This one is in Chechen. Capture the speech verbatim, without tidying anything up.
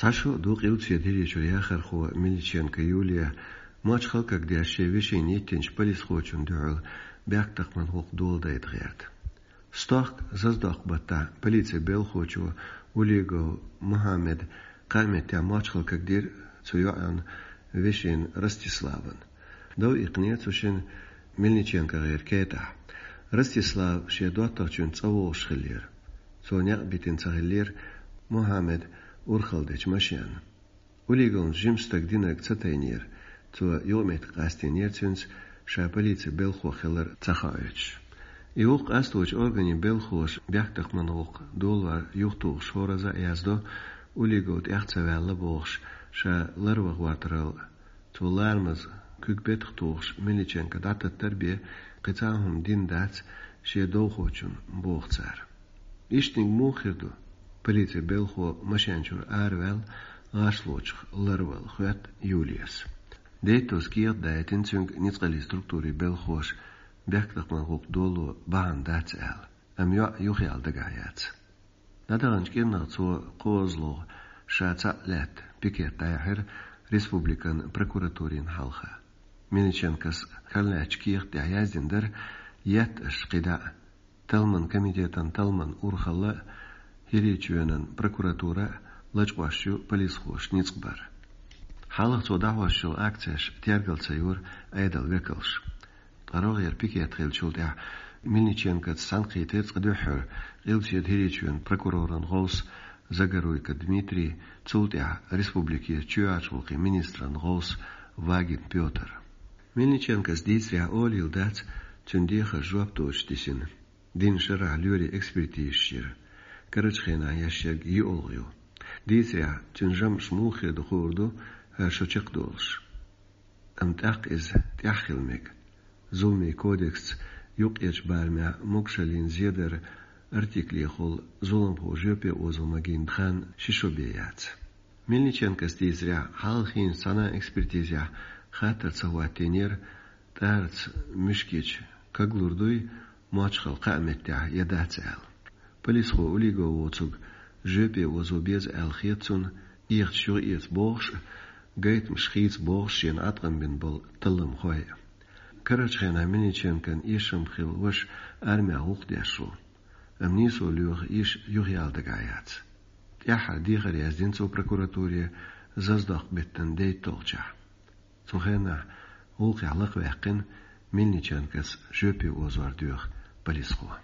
Цхьа шо ду Къилбаседа ХӀирийчуьра яхархо Мельниченко Юлия, мочхал кагдеш шен вешийна йиттинчу полисхочунна дуьхьал бехктакхаман гӀуллакх доладайта гӀерта. Стохка заздоккху баттахь полицин белхахочо Улигов Мухьаммада кхаа меттехь мочхал кагдира цу йоӀан вешина Ростиславна. Дов иккхинера цу шинна Мельниченкогара кетӀахь. Ростислав шен доттагӀчуьнца цӀа вогӀуш хиллера. Цо некъ битина ца хиллера Мухьаммада урхалла дечу машенна. Улиговна жима стаг динарг ца тайнера, цо юкъаметтиг къастийнера цуьнца, ша полицин белхахо хилар ца хоуьйтуш. И гӀуллакх къасточу органийн белхахоша бехктакхаман гӀуллакх долор юхатухуш хӀоразза а яздо, Улигов тӀех ца ваьлла бохуш, ша ларван гӀортаралла, цо ларамаза куьг бетах тухуш Мельниченко дӀататтар бен кхин цхьа а хӀума дина дац шен довхочунна, боху цара. Иштаниг муха хир ду? Полицин белхахо машен чуьра араваьлла, гӀашлочух ларвала, хоьтту Юлияс. Дейтта кехат дайтина цуьнга ницкъаллин структурийн белхахоша бехктакхаман гӀуллакх доло бахьана дац аьлла, амма йоӀ юхаяла дагахь яц. ДӀадаханчу кӀирнах цо кхозлагӀа ша цхьаъ лаьтта пикет дӀаяьхьира республикан прокуратурина хьалха. Мельниченкос карладаьчу кехат тӀехь яздина дара, етта аша кхидӀа а, талламан комитетан талламан урхалла а, ХӀирийчоьнан прокуратура а лачкъош ю полисхоша ницкъ бар. Хьалха цо дӀахьош йолу акцеш тергал ца йора Ӏедалан векалша. Ткъа рогӀера пикет хиллачул тӀаьхьа Мельниченкоца схьанкхийтира цкъа дуьххьара Къилбаседа ХӀирийчоьнан прокуроран гӀовс Загоруйко Дмитрий, цул тӀаьхьа республикера чоьхьарчу гӀуллакхийн министран гӀовс Вагин Пётр. Мельниченкос дийцарехь, олийла дац цуьнан дехар жоп доцуш дисина. Дийнна шарахь лоьрийн экспертизаш йира. Карарчу хенахь еш ерг йоьалгӀа ю. Дийцарехь, цуьнан жамӀаш муха хир ду хуур ду, хӀара шо чекхдолуш. Амма тӀаккха иза тӀехь хила мега. Зуламийн кодексца юккъерчу барамехь могушаллина зедаран артиклехула зуламхо жоьпе озо магийна хан ши шо бен яц. Мельниченкос дийцарехь, хьалхийначу цхьана экспертизехь хаттар ца хӀоттийнера, тӀарца муьшкича каглур дуй мочхал кхаа меттехь я дац аьлла. Полисхо Улигов воцург жоьпе озо беза аьлла хета цунна, кехаташ юхаэца бохуш а, гайтамаш хийца бохуш а шена Ӏаткъам бина болу талламхой а. Карарчу хенахь Мельниченкон эшам хилла ваша армехь гӀуллакх деш ву, амма нийсо лоьху йиша юхаяла дагахь яц. ТӀаьххьара дехар яздина цо прокуратуре заздоккху беттан дейтталгӀачохь. Цу хенахь гӀуллакхехь лакхаваьккхина Мельниченкос жоьпе озор доьху полисхо.